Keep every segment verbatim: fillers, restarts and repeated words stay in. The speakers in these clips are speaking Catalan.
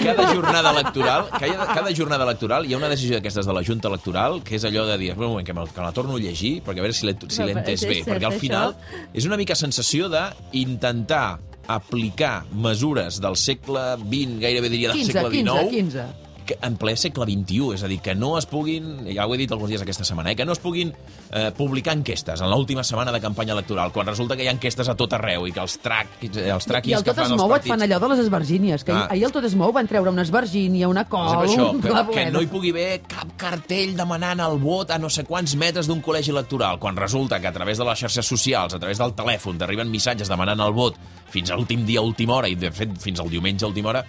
cada jornada electoral, cada, cada jornada electoral hi ha una decisió d'aquestes de la Junta Electoral que és allò de dir, un moment, que, me, que la torno a llegir, perquè a veure si l'he si l'he entès bé, perquè al final és una mica sensació d'intentar aplicar mesures del segle vint, gairebé diria del segle dinou, quinze, en ple segle vint-i-u, és a dir, que no es puguin, ja ho he dit alguns dies aquesta setmana, eh, que no es puguin eh, publicar enquestes en l'última setmana de campanya electoral, quan resulta que hi ha enquestes a tot arreu i que els, trac, els traquis I el que Tot fan es els mou et partits... fan allò de les esvergínies, que ah. ahir el Tot es mou van treure una esvergínia, una col, això, un que, clavuet. que no hi pugui haver cap cartell demanant el vot a no sé quants metres d'un col·legi electoral, quan resulta que a través de les xarxes socials, a través del telèfon, t'arriben missatges demanant el vot fins a l'últim dia, a última hora, i de fet fins al diumenge a última hora.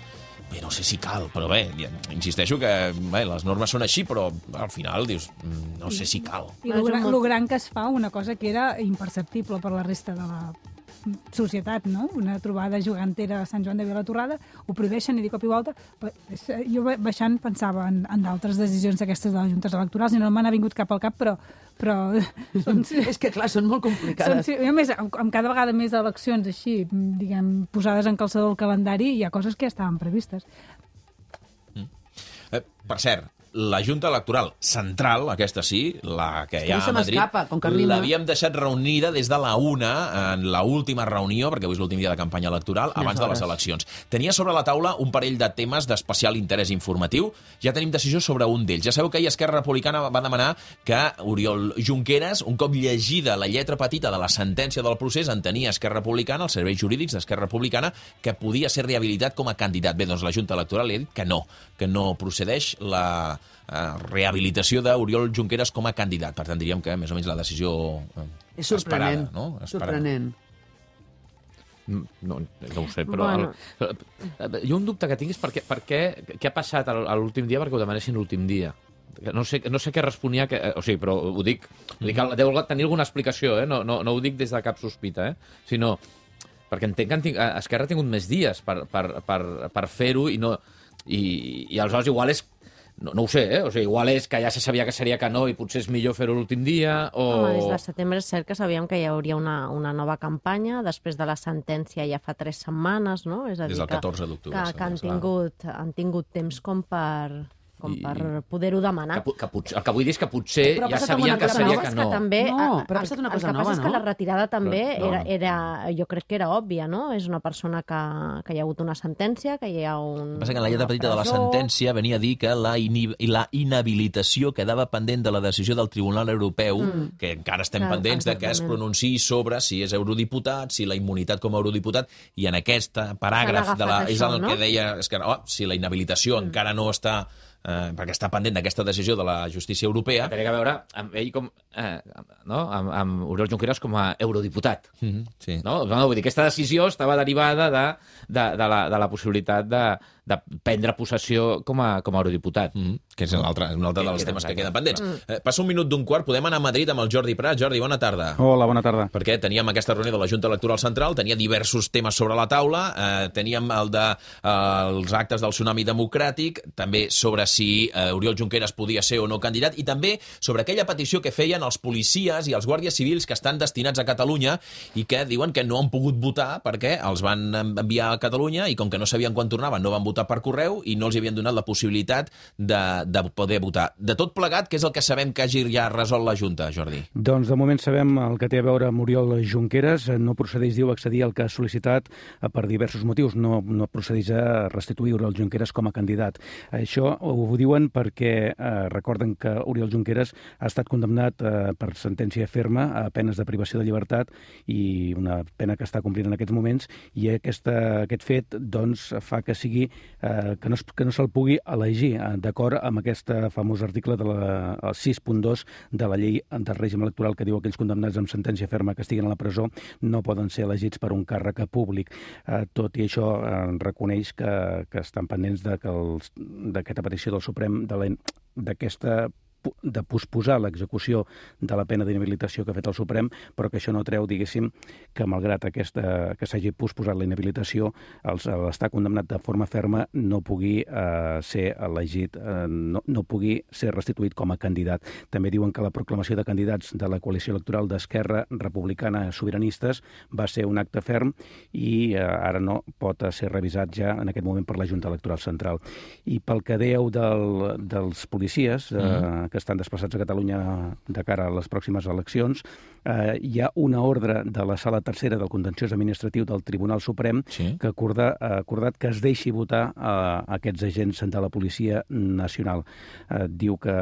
Bé, no sé si cal, però bé, insisteixo que bé, les normes són així, però al final dius, no sé si cal. I lo gran, lo gran que es fa, una cosa que era imperceptible per la resta de la societat, no? Una trobada gegantera a Sant Joan de Vilatorrada, ho prohibeixen i de cop i volta... Jo baixant pensava en, en d'altres decisions d'aquestes de les juntes electorals i no me n'ha vingut cap al cap, però... però són, és que, clar, són molt complicades. Són, a més, amb, amb cada vegada més eleccions així, diguem, posades en calçador el calendari, hi ha coses que ja estaven previstes. Mm. Eh, per cert, la Junta Electoral Central, aquesta sí, la que hi ha a Madrid, l'havíem deixat reunida des de la una, en l'última reunió, perquè avui és l'últim dia de campanya electoral, abans de les eleccions. Tenia sobre la taula un parell de temes d'especial interès informatiu. Ja tenim decisió sobre un d'ells. Ja sabeu que ahir Esquerra Republicana va demanar que Oriol Junqueras, un cop llegida la lletra petita de la sentència del procés, entenia Esquerra Republicana, els serveis jurídics d'Esquerra Republicana, que podia ser rehabilitat com a candidat. Bé, doncs la Junta Electoral li ha dit que no, que no procedeix la rehabilitació d'Oriol Junqueras com a candidat. Per tant, diríem que més o menys la decisió és sorprenent, esperada, no? Sorprenent. No, no ho sé, però... Bueno. El, jo un dubte que tinc és per què, per què, què ha passat a l'últim dia perquè ho demanessin l'últim dia. No sé, no sé què responia, que, o sigui, però ho dic, dic deu tenir alguna explicació, eh? no, no, no ho dic des de cap sospita, eh? sinó perquè entenc que Esquerra ha tingut més dies per, per, per, per fer-ho i, no, i, i aleshores igual és No, no ho sé, eh? O sigui, igual és que ja se sabia que seria que no i potser és millor fer-ho l'últim dia, o... Home, des de setembre és cert que sabíem que hi hauria una, una nova campanya, després de la sentència ja fa tres setmanes, no? És a dir, des del catorze d'octubre. Que, que han, tingut, han tingut temps com per... com I, per poder-ho demanar. Que, que potser, el que vull dir és que potser ja sabien que seria que no. Que també, no, però ha passat una cosa el, el que nova, passa és que la retirada també però, no, era, era, jo crec que era òbvia, no? És una persona que, que hi ha hagut una sentència, que hi ha un... Passa que en la lletra petita de la sentència venia a dir que la, inhi la inhabilitació quedava pendent de la decisió del Tribunal Europeu, mm. que encara estem Clar, pendents de que es pronunciï sobre si és eurodiputat, si la immunitat com a eurodiputat, i en aquest paràgraf de la, és el no? que deia és que, oh, si la inhabilitació mm. encara no està Eh, perquè està pendent d'aquesta decisió de la justícia europea. Té a veure amb ell com... Eh, no? amb, amb Oriol Junqueras com a eurodiputat. Mm-hmm, sí. No? No, vull dir, aquesta decisió estava derivada de, de, de, la, de la possibilitat de, de prendre possessió com a, com a eurodiputat. Mm-hmm. Que és un altre, un altre dels temes que queden pendents. Mm. Eh, passa un minut d'un quart, podem anar a Madrid amb el Jordi Prat. Jordi, bona tarda. Hola, bona tarda. Perquè teníem aquesta reunió de la Junta Electoral Central, tenia diversos temes sobre la taula, eh, teníem el de eh, els actes del tsunami democràtic, també sobre si eh, Oriol Junqueras podia ser o no candidat, i també sobre aquella petició que feien els policies i els guàrdies civils que estan destinats a Catalunya i que diuen que no han pogut votar perquè els van enviar a Catalunya i com que no sabien quan tornaven no van votar per correu i no els havien donat la possibilitat de, de poder votar. De tot plegat, què és el que sabem que hagi ja resolt la Junta, Jordi? Doncs de moment sabem el que té a veure amb Oriol Junqueras. No procedeix, diu, accedir al que ha sol·licitat per diversos motius. No, no procedeix a restituir Oriol Junqueras com a candidat. Això ho diuen perquè eh, recorden que Oriol Junqueras ha estat condemnat eh, per sentència ferma a penes de privació de llibertat i una pena que està complint en aquests moments, i aquesta, aquest fet doncs, fa que sigui eh, que no, que no se'l pugui elegir eh, d'acord amb aquest famós article de la sis punt dos de la llei del règim electoral que diu que aquells condemnats amb sentència ferma que estiguen a la presó no poden ser elegits per un càrrec públic. Eh, tot i això eh, reconeix que, que estan pendents de que d'aquesta petició del Suprem, d'aquesta de posposar l'execució de la pena d'inhabilitació que ha fet el Suprem, però que això no treu, diguéssim, que malgrat aquesta, que s'hagi posposat la inhabilitació, l'estar condemnat de forma ferma no pugui eh, ser elegit, eh, no, no pugui ser restituït com a candidat. També diuen que la proclamació de candidats de la coalició electoral d'Esquerra Republicana Sobiranistes va ser un acte ferm i eh, ara no pot ser revisat ja en aquest moment per la Junta Electoral Central. I pel que dèieu del, dels policies eh, mm. que estan desplaçats a Catalunya de cara a les pròximes eleccions, eh, hi ha una ordre de la Sala Tercera del Contenciós Administratiu del Tribunal Suprem sí. que acorda, ha acordat que es deixi votar a aquests agents de la Policia Nacional. Eh, diu que,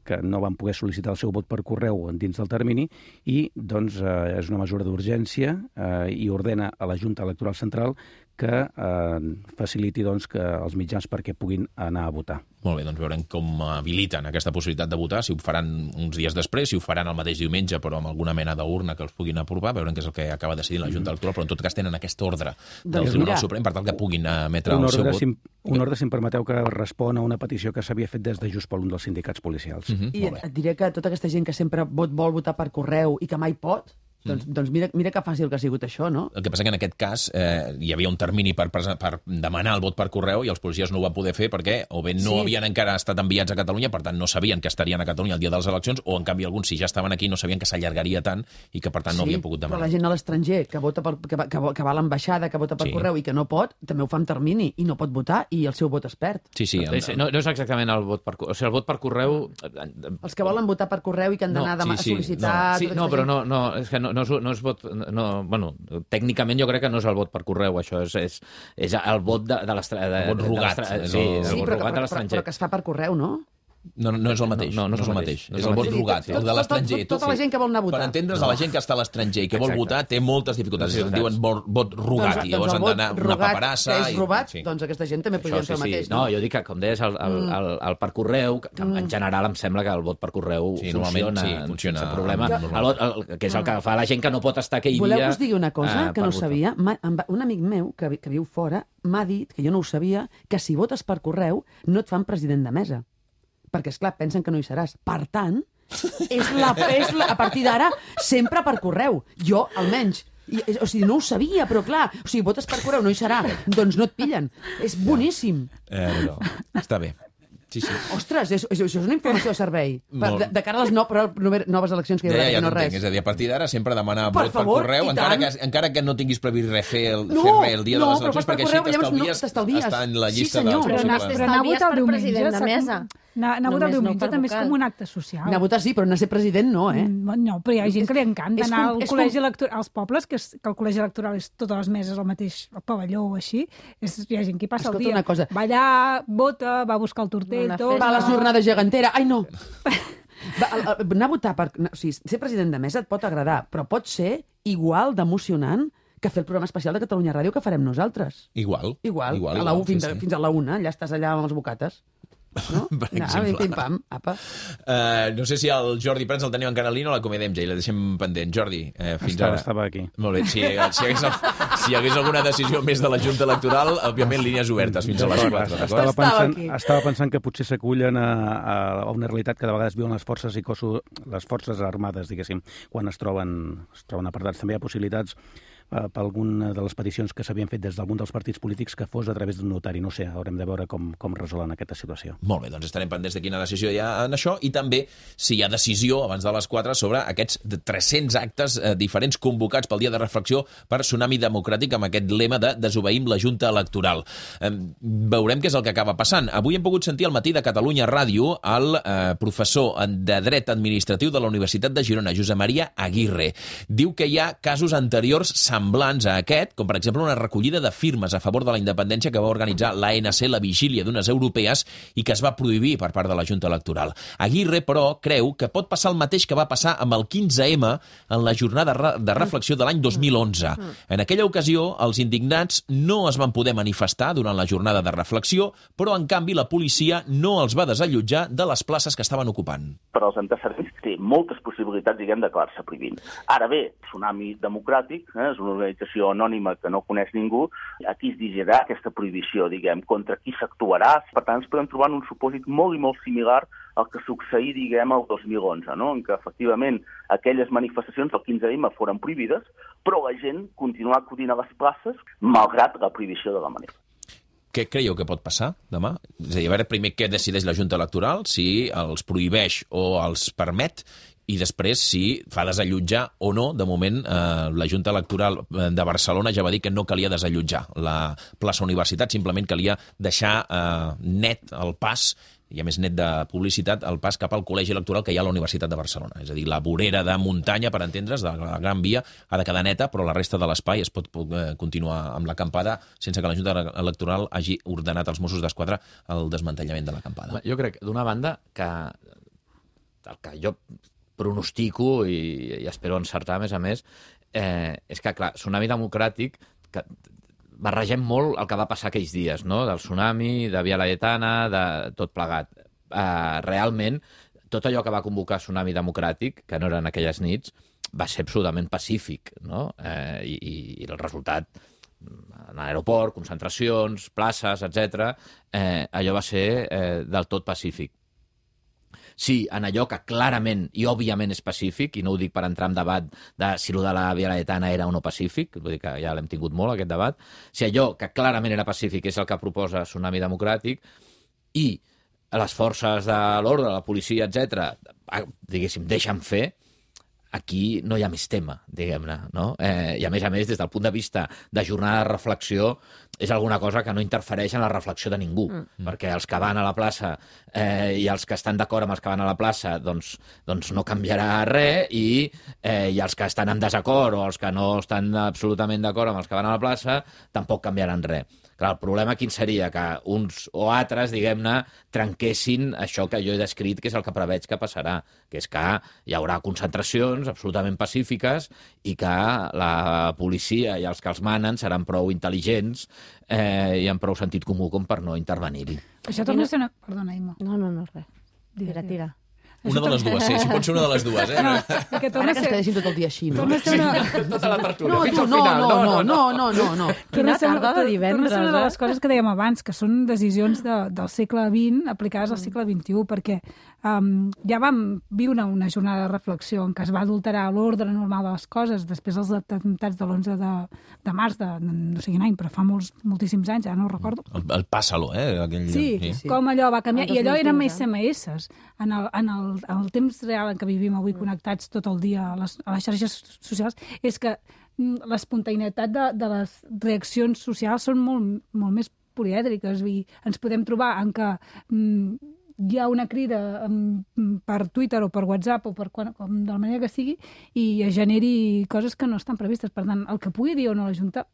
que no van poder sol·licitar el seu vot per correu dins del termini i doncs, eh, és una mesura d'urgència eh, i ordena a la Junta Electoral Central que eh, faciliti doncs, que els mitjans perquè puguin anar a votar. Molt bé, doncs veurem com habiliten aquesta possibilitat de votar, si ho faran uns dies després, si ho faran el mateix diumenge, però amb alguna mena d'urna que els puguin aprovar, veurem què és el que acaba decidint la Junta Electoral, però en tot cas tenen aquesta ordre del doncs Tribunal mira, Suprem per tal que puguin emetre el seu vot. Si, un ordre, si em permeteu, que respon a una petició que s'havia fet des de Just per un dels sindicats policials. Uh-huh. I et diré que tota aquesta gent que sempre vol votar per correu i que mai pot, Doncs, mm. doncs mira, mira que fàcil que ha sigut això, no? El que passa que en aquest cas eh, hi havia un termini per, per demanar el vot per correu i els policies no ho van poder fer perquè o bé no sí. havien encara estat enviats a Catalunya, per tant no sabien que estarien a Catalunya el dia de les eleccions, o en canvi alguns, si ja estaven aquí, no sabien que s'allargaria tant i que per tant no sí, havien pogut demanar. Però la gent a l'estranger que, vota per, que, que, que va a l'ambaixada, que vota per sí. correu i que no pot, també ho fa en termini i no pot votar i el seu vot es perd. Sí, sí. El... No, no és exactament el vot per correu. O sigui, el vot per correu... Els que volen votar per correu i que han d'anar no, sí, sí, a sol·licitar... No, sí, no però no, no, és que no, no, és, no és vot... No, bueno, tècnicament jo crec que no és el vot per correu, això és, és, és el vot de, de l'estranger. El vot rogat. Sí, el sí, vot però, rogat però, de l'estranger. Però que es fa per correu, no? No, no és el mateix. No, no, no és el mateix. No és el vot rogat, el de l'estranger. Tota la gent que vol anar a votar. Per entendre's, no. la gent que està a l'estranger i que vol votar té moltes dificultats. Sí, en diuen vot rogat, i llavors han d'anar una paperassa. És robat, doncs aquesta gent també podria fer el mateix. No, jo dic que, com deies, el per correu, que en general em sembla que el vot per correu funciona sense problema, que és el que fa la gent que no pot estar aquell dia. Voleu que us digui una cosa que no sabia? Un amic meu, que viu fora, m'ha dit, que jo no ho sabia, que si votes per correu no et fan president de mesa. Perquè, esclar, pensen que no hi seràs. Per tant, és la, és la, a partir d'ara, sempre per correu. Jo, almenys. I, o sigui, no ho sabia, però clar, o sigui, votes per correu, no hi serà. Doncs no et pillen. És boníssim. Eh, no. Està bé. Sí, sí. Ostres, és, és, això és una informació de servei. Per, de, de cara a les no, però, noves eleccions que hi haurà, ja, ja no res. És a dir, a partir d'ara sempre demanar per vot favor, per correu, encara que, encara que no tinguis previst res fer el, no, fer res el dia no, de les eleccions, perquè correu, així t'estalvies no, estar en la llista sí, dels... Però anar, però anar a votar el diumenge de mesa. Anar, anar a votar el diumenge no també és com un acte social. Anar a votar sí, però anar a ser president no, eh? No, però hi ha gent que li encanta anar al col·legi electoral, als pobles, que, és, que el col·legi electoral és totes les meses al mateix pavelló o així. És, hi ha gent que hi passa el dia. Va allà, vota, va a buscar el tortell, tot. Va a la jornada gegantera. Ai, no! Va, anar a votar per... O sigui, ser president de mesa et pot agradar, però pot ser igual d'emocionant que fer el programa especial de Catalunya Ràdio que farem nosaltres. Igual. Igual. igual, a la igual fins, sí, a, sí. fins a la una, allà estàs allà amb els bocates. No? Per no, exemple. Pim, pam, apa. Uh, no sé si el Jordi Prats el tenim encara en línia o l'acomiadem ja i la deixem pendent. Jordi, eh, fins estava, ara. Estava aquí. Molt bé. Si, si, hi hagués, si hi hagués alguna decisió més de la Junta Electoral, òbviament línies obertes fins a les quatre. Estava pensant, estava pensant que potser s'acullen a, a una realitat que de vegades viuen les forces i cossos, les forces armades, diguéssim, quan es troben, es troben apartats. També hi ha possibilitats per alguna de les peticions que s'havien fet des d'algun dels partits polítics que fos a través d'un notari. No sé, haurem de veure com, com resolen aquesta situació. Molt bé, doncs estarem pendents de quina decisió hi ha en això i també si hi ha decisió abans de les quatre sobre aquests tres-cents actes eh, diferents convocats pel dia de reflexió per Tsunami Democràtic amb aquest lema de desobeïm la Junta Electoral. Eh, veurem què és el que acaba passant. Avui hem pogut sentir al matí de Catalunya Ràdio el eh, professor de Dret Administratiu de la Universitat de Girona, Josep Maria Aguirre. Diu que hi ha casos anteriors semblants a aquest, com per exemple una recollida de firmes a favor de la independència que va organitzar l'A N C la vigília d'unes europees i que es va prohibir per part de la Junta Electoral. Aguirre, però, creu que pot passar el mateix que va passar amb el quinze ema en la jornada de reflexió de l'any dos mil onze. En aquella ocasió, els indignats no es van poder manifestar durant la jornada de reflexió, però, en canvi, la policia no els va desallotjar de les places que estaven ocupant. Per als antecedents té moltes possibilitats, diguem, d'acabar-se prohibint. Ara bé, Tsunami Democràtic, eh, és una organització anònima que no coneix ningú, a qui es dirigirà aquesta prohibició, diguem, contra qui s'actuarà. Per tant, ens podem trobar en un supòsit molt i molt similar el que succeí, diguem, el dos mil onze, no? En què, efectivament, aquelles manifestacions del quinze eme foren prohibides, però la gent continua acudint a les places malgrat la prohibició de la manifestació. Què creieu que pot passar demà? És a dir, a veure primer què decideix la Junta Electoral, si els prohibeix o els permet, i després si fa desallotjar o no. De moment, eh, la Junta Electoral de Barcelona ja va dir que no calia desallotjar la plaça Universitat, simplement calia deixar eh, net el pas, i a més net de publicitat, el pas cap al col·legi electoral que hi ha a la Universitat de Barcelona. És a dir, la vorera de muntanya, per entendre's, de la Gran Via, ha de quedar neta, però la resta de l'espai es pot eh, continuar amb l'acampada sense que la Junta Electoral hagi ordenat als Mossos d'Esquadra el desmantellament de l'acampada. Jo crec, d'una banda, que el que jo pronostico i, i espero encertar, a més a més, eh, és que, clar, Tsunami Democràtic, que barregem molt el que va passar aquells dies, no? Del tsunami, de Via Laietana, de tot plegat. Eh, realment, tot allò que va convocar Tsunami Democràtic, que no eren aquelles nits, va ser absolutament pacífic, no? Eh, i, i el resultat, en l'aeroport, concentracions, places, etcètera, eh, allò va ser eh, del tot pacífic. Sí, en allò que clarament i òbviament és pacífic, i no ho dic per entrar en debat de si allò de la Via Laietana era o no pacífic, vull dir que ja l'hem tingut molt, aquest debat, si allò que clarament era pacífic és el que proposa Tsunami Democràtic, i les forces de l'ordre, la policia, etcètera, diguéssim, deixen fer, aquí no hi ha més tema, diguem-ne, no? Eh, I a més a més, des del punt de vista de jornada de reflexió, és alguna cosa que no interfereix en la reflexió de ningú, mm. perquè els que van a la plaça eh, i els que estan d'acord amb els que van a la plaça, doncs, doncs no canviarà res, i, eh, i els que estan en desacord o els que no estan absolutament d'acord amb els que van a la plaça, tampoc canviaran res. Clar, el problema quin seria? Que uns o altres, diguem-ne, trenquessin això que jo he descrit, que és el que preveig que passarà, que és que hi haurà concentracions absolutament pacífiques i que la policia i els que els manen seran prou intel·ligents eh, i amb prou sentit comú com per no intervenir-hi. Això torna a ser una... Perdona, Imma. No, no, no, res. Tira, tira. Una de les dues, sí, si pot ser una de les dues, eh? No, Ara que ens quedéssim tot el dia així, no? Torna a ser una... Tota la tertúlia, no, fins tu, al final. No, no, no, no, no, no. Quina tarda de divendres, eh? Torna a ser una de eh? les coses que dèiem abans, que són decisions de, del segle vint aplicades al segle vint-i-u, perquè um, ja vam viure una, una jornada de reflexió en què es va adulterar l'ordre normal de les coses després dels atemptats de l'onze de, de març de no sé quin any, però fa molts, moltíssims anys, ja no ho recordo. El, el Pásalo, eh? Aquell... Sí, sí, com allò va canviar. I allò eren més esse eme esse. En el, en el, en el temps real en què vivim avui connectats tot el dia a les, a les xarxes socials, és que l'espontaneïtat de, de les reaccions socials són molt, molt més polièdriques i ens podem trobar en què mm, hi ha una crida um, per Twitter o per WhatsApp o per quan, com de la manera que sigui i es generi coses que no estan previstes. Per tant, el que pugui dir o no la Junta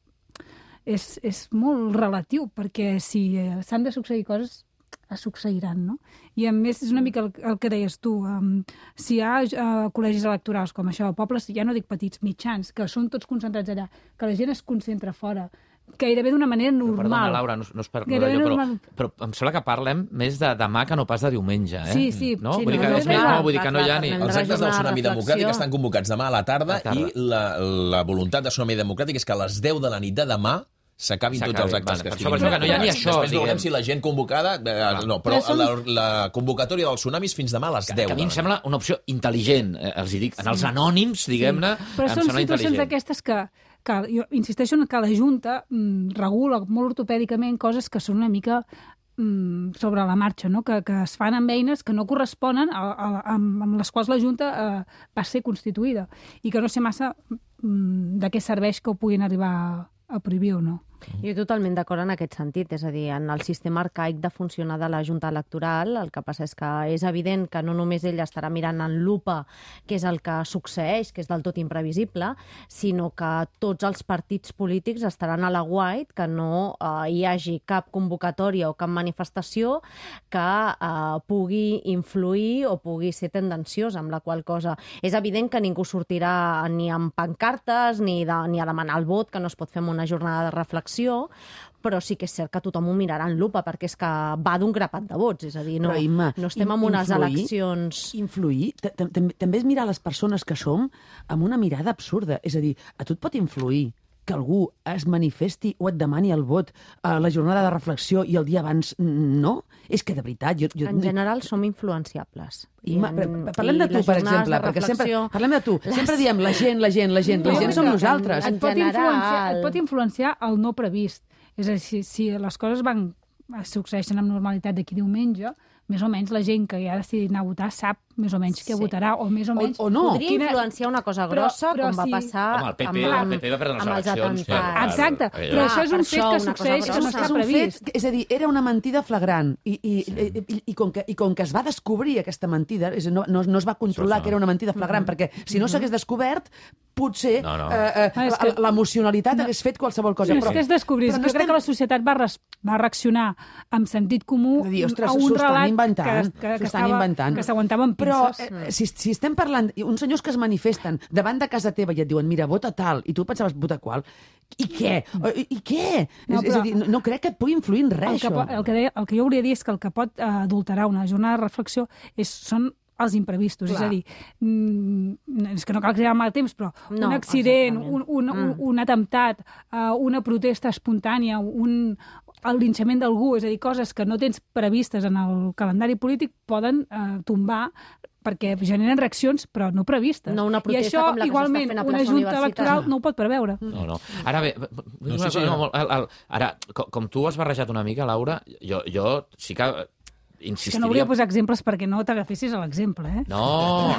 és, és molt relatiu, perquè si eh, s'han de succeir coses es succeiran, no? I a més és una mica el, el que deies tu, um, si hi ha uh, col·legis electorals com això, pobles, ja no dic petits, mitjans, que són tots concentrats allà, que la gent es concentra fora, gairebé d'una manera normal. Perdona, Laura, no, no és per no jo, però, però em sembla que parlem més de demà que no pas de diumenge, eh? Sí, sí. No? sí vull, no, dir que, no, no, no, vull dir que no hi ha ni... Els actes del Tsunami Democràtic estan convocats demà a la tarda, la tarda. i la, la voluntat de Tsunami Democràtic és que a les deu de la nit de demà s'acabin tots els actes vale, que estiguin. Per això que no hi ha ni això. Després veurem si la gent convocada... Eh, no, però som... la, la convocatòria del tsunami és fins demà a les deu. Que a mi em sembla una opció intel·ligent, eh, els hi dic. En els anònims, diguem-ne, sí. Però em són sembla situacions d'aquestes que, que, jo insisteixo en que la Junta mm, regula molt ortopèdicament coses que són una mica mm, sobre la marxa, no? que, que es fan amb eines que no corresponen a, a, a, amb les quals la Junta eh, va ser constituïda i que no sé massa mm, de què serveix que ho puguin arribar a prohibir o no. Jo totalment d'acord en aquest sentit, és a dir, en el sistema arcaic de funcionar de la Junta Electoral, el que passa és que és evident que no només ella estarà mirant en lupa què és el que succeeix, que és del tot imprevisible, sinó que tots els partits polítics estaran a la guait, que no eh, hi hagi cap convocatòria o cap manifestació que eh, pugui influir o pugui ser tendenciosa, amb la qual cosa és evident que ningú sortirà ni amb pancartes ni, de, ni a demanar el vot, que no es pot fer en una jornada de reflexió, però sí que és cert que tothom ho mirarà en lupa, perquè és que va d'un grapat de vots, és a dir, no, Imma, no estem en unes influir, eleccions... Influir també és mirar les persones que som amb una mirada absurda, és a dir, a tu et pot influir que algú es manifesti o et demani el vot a la jornada de reflexió i el dia abans no? És que, de veritat... Jo, jo... En general som influenciables. I ma, en, parlem de tu, per exemple, perquè sempre... Parlem de tu. Les... Sempre diem la gent, la gent, la gent. La gent som nosaltres. Et pot, influenciar, et pot influenciar el no previst. És a dir, si, si les coses van succeeixen amb normalitat d'aquí diumenge, més o menys la gent que ja ha decidit anar a votar sap més o menys sí. què votarà, o més o menys... O, o no. Podria Quina... influenciar una cosa grossa, però, però com va passar... Home, el P P, amb, el P P va perdre les eleccions. Per... Exacte, però, però això és un fet que succeeix que no està previst. Fet, és a dir, era una mentida flagrant, i, i, sí. i, i, i, com que, i com que es va descobrir aquesta mentida, és, no, no, no es va controlar que era una mentida flagrant, mm -hmm. perquè si no s'hagués descobert, potser no, no. Eh, eh, ah, que... l'emocionalitat no. hagués fet qualsevol cosa. No, però, és que es descobrís. No jo estem... crec que la societat va, res, va reaccionar amb sentit comú dir, ostres, a un relat inventant, que, que, que, estava, que s'aguantava amb pinces. Però eh, si, si estem parlant, uns senyors que es manifesten davant de casa teva i et diuen, mira, vota tal, i tu pensaves votar qual, i què? I, i què? No, és, és a dir, no, no crec que et pugui influir en res, el que, això. El que, deia, el que jo volia dir és que el que pot adulterar una jornada de reflexió és, són els imprevistos, Clar. és a dir, mm, és que no cal crear mal temps, però no, un accident, un, un, mm. un, un atemptat, uh, una protesta espontània, un, el linxament d'algú, és a dir, coses que no tens previstes en el calendari polític poden uh, tombar perquè generen reaccions, però no previstes. No una protesta I això, com la que igualment, s'està fent a una plaça junta electoral no ho pot preveure. No, no. Ara bé, no, sí, sí, no. Ara, com, com tu has barrejat una mica, Laura, jo, jo sí que insistiria... Que no volia posar exemples perquè no t'agafessis a l'exemple, eh? No,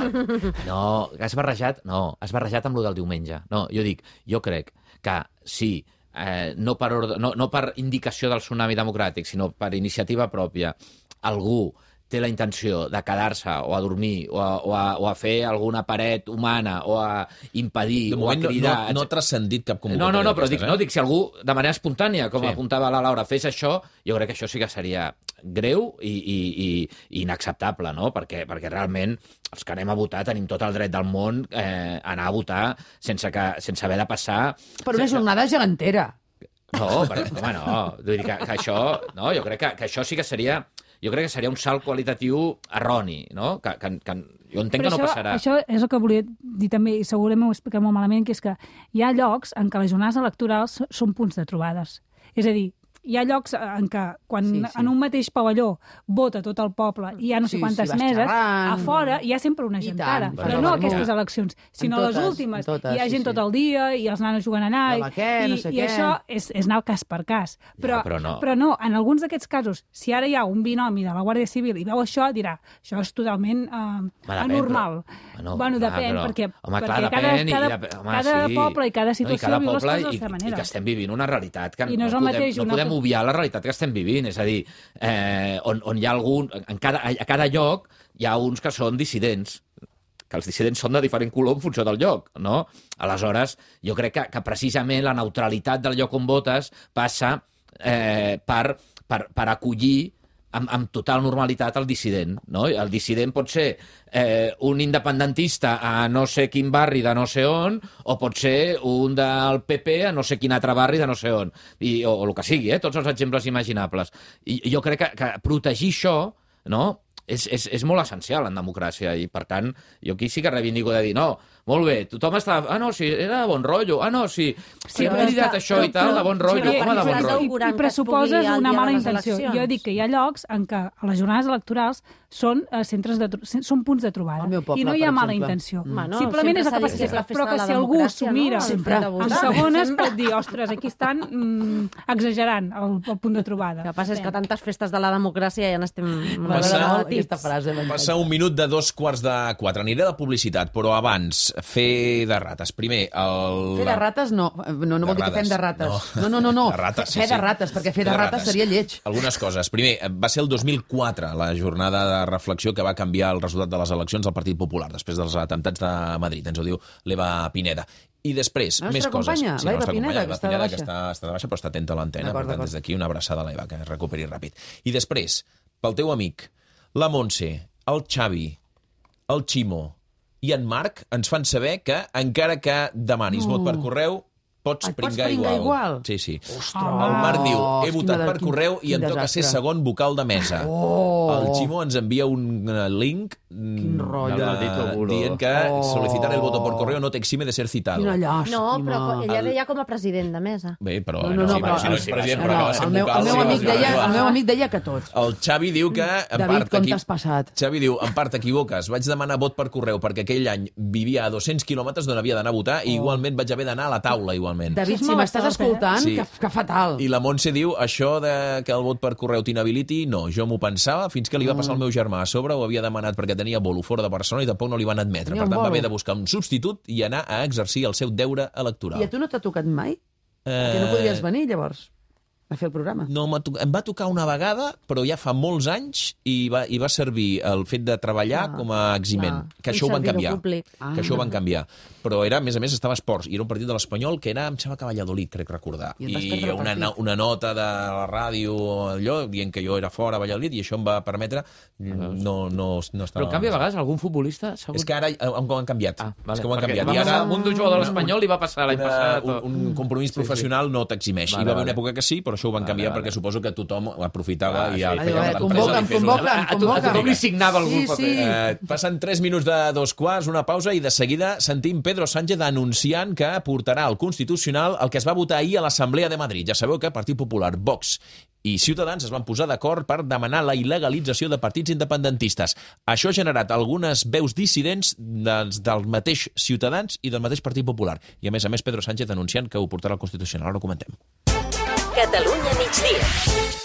no, has barrejat, no, has barrejat amb lo del diumenge. No, jo dic, jo crec que sí, eh, no, per ordre, no, no per indicació del tsunami democràtic, sinó per iniciativa pròpia, algú té la intenció de quedar-se o a dormir o a, o, a, o a fer alguna paret humana o a impedir o a cridar... No, no, no ha transcendit cap convocatòria. No, no, no, però dic, eh? no, dic, si algú de manera espontània, com sí. apuntava la Laura, fes això, jo crec que això sí que seria greu i, i, i, i inacceptable, no? Perquè, perquè realment els que anem a votar tenim tot el dret del món eh, a anar a votar sense, que, sense haver de passar... Per una jornada gegantera. No, però, home, no. Vull dir que, que això... No, jo crec que, que això sí que seria... Jo crec que seria un salt qualitatiu erroni, no? Que, que, que jo entenc Però que no això, passarà. Això és el que volia dir també, i segurament ho expliquem molt malament, que és que hi ha llocs en què les jornades electorals són punts de trobades. És a dir, hi ha llocs en què, quan sí, sí. en un mateix pavelló vota tot el poble i hi ha no sé sí, quantes sí, meses, xerrant. A fora hi ha sempre una gentada. Però no aquestes eleccions, sinó totes, les últimes. Totes, hi ha gent sí, tot el dia i els nanos juguen a anar. Què, i, no sé i això és, és anar cas per cas. Però, ja, però, no. però no, en alguns d'aquests casos, si ara hi ha un binomi de la Guàrdia Civil i veu això, dirà, això és totalment uh, anormal. Però, no, bueno, clar, depèn, però, perquè, home, perquè clar, cada, depèn, cada, i, home, cada sí. poble i cada situació no, i cada viu les coses i, de la manera. I que estem vivint una realitat que I no, no, podem, mateix, no una... podem obviar la realitat que estem vivint, és a dir, eh, on, on hi ha algun... En cada, a cada lloc hi ha uns que són dissidents, que els dissidents són de diferent color en funció del lloc, no? Aleshores, jo crec que, que precisament la neutralitat del lloc on votes passa eh, per, per, per acollir amb, amb total normalitat el dissident, no? El dissident pot ser eh, un independentista a no sé quin barri de no sé on, o pot ser un del P P a no sé quin altre barri de no sé on, I, o, o el que sigui, eh? Tots els exemples imaginables. I jo crec que, que protegir això, no?, és, és, és molt essencial en democràcia, i per tant jo aquí sí que reivindico de dir, no, molt bé, tothom està... Ah, no, sí, era de bon rotllo. Ah, no, sí, sí hem cridat això però, i tal, de bon rotllo. Sí, com de bon rotllo? I, i pressuposes una mala intenció. Jo dic que hi ha llocs en què a les jornades electorals són uh, centres de són punts de trobada. Poble, I no hi ha mala exemple. intenció. Mm. No, simplement és el que passa. Sí, però que si algú s'ho mira no? en segones pot dir, ostres, aquí estan mm, exagerant el, el punt de trobada. El que passa és que tantes festes de la democràcia ja n'estem Passa, aquesta frase. Passa un minut de dos quarts de quatre. Aniré de publicitat, però abans, fer de rates. Primer, el... Fer de rates no. No, no vol dir que fem de rates. No, no, no. no. De rates, sí, fer de rates, perquè fer de, de rates seria lleig. Algunes coses. Primer, va ser el dos mil quatre la jornada de reflexió que va canviar el resultat de les eleccions al Partit Popular, després dels atemptats de Madrid. Ens ho diu l'Eva Pineda. I després, la més coses. Companya, sí, la nostra Pineda, companya, que està de baixa. Que està, està de baixa, però està atenta a l'antena. Per tant, des d'aquí una abraçada a l'Eva, que es recuperi ràpid. I després, pel teu amic, la Montse, el Xavi, el Ximo i en Marc ens fan saber que, encara que demanis no. vot per correu, pots Et pringar, pots pringar igual. Sí, sí. Ostres, el Marc diu, he votat quin, per correu i em toca ser segon vocal de mesa. Oh. El Ximo ens envia un link Quin rotllo. de, dient que oh. solicitar el voto por correo no te exime de ser citado. Quina llàstima. No, però ella deia com a president de mesa. Bé, però... No, no, no, sí, però, si no ets president, no, però no, acaba sent el meu, vocal. el, meu amic sí, deia, sí, el meu amic deia que tots. El Xavi diu que... En David, part, com aquí, t'has passat? Xavi diu, en part t'equivoques, vaig demanar vot per correu perquè aquell any vivia a dos-cents quilòmetres d'on havia d'anar a votar i igualment vaig haver d'anar a la taula, igualment. David, si m'estàs escoltant, sí. que, que fatal. I la Montse diu, això de que el vot per correu t'inhabiliti, no, jo m'ho pensava fins que li va passar al meu germà a sobre, ho havia demanat perquè tenia bolo fora de Barcelona i tampoc no li van admetre. Tenia per tant, bolo. va haver de buscar un substitut i anar a exercir el seu deure electoral. I a tu no t'ha tocat mai? Eh... Que no podries venir, llavors, a fer el programa. No, em va tocar una vegada, però ja fa molts anys, i va, i va servir el fet de treballar ah, com a eximent. Ah, que això ho van canviar. Ah. Que això ho van canviar. Però era, a més a més, estava a esports, i era un partit de l'Espanyol que era, em sembla que Valladolid, crec recordar. I, I una, una nota de la ràdio, allò, dient que jo era fora a Valladolid, i això em va permetre no, no, no estar... Però en canvi, a vegades, algun futbolista... Segur... És que ara han, han canviat. Ah, vale. És que ho han Perquè canviat. Va I ara, un d'un jugador de l'Espanyol li va passar l'any passat. Un, un compromís professional sí, sí. no t'eximeix. Vale, Hi va haver vale. una època que sí, però això ho van vale, canviar vale. perquè suposo que tothom aprofitava ah, i el sí. feia Adéu, convoquen, convoquen, convoquen. A tothom li signava algú sí, paper. Sí. Eh, passen tres minuts de dos quarts, una pausa, i de seguida sentim Pedro Sánchez anunciant que portarà al Constitucional el que es va votar ahir a l'Assemblea de Madrid. Ja sabeu que Partit Popular, Vox i Ciutadans es van posar d'acord per demanar la il·legalització de partits independentistes. Això ha generat algunes veus dissidents dels, del mateix Ciutadans i del mateix Partit Popular. I a més a més Pedro Sánchez anunciant que ho portarà al Constitucional. Ara ho comentem. Catalunya migdia.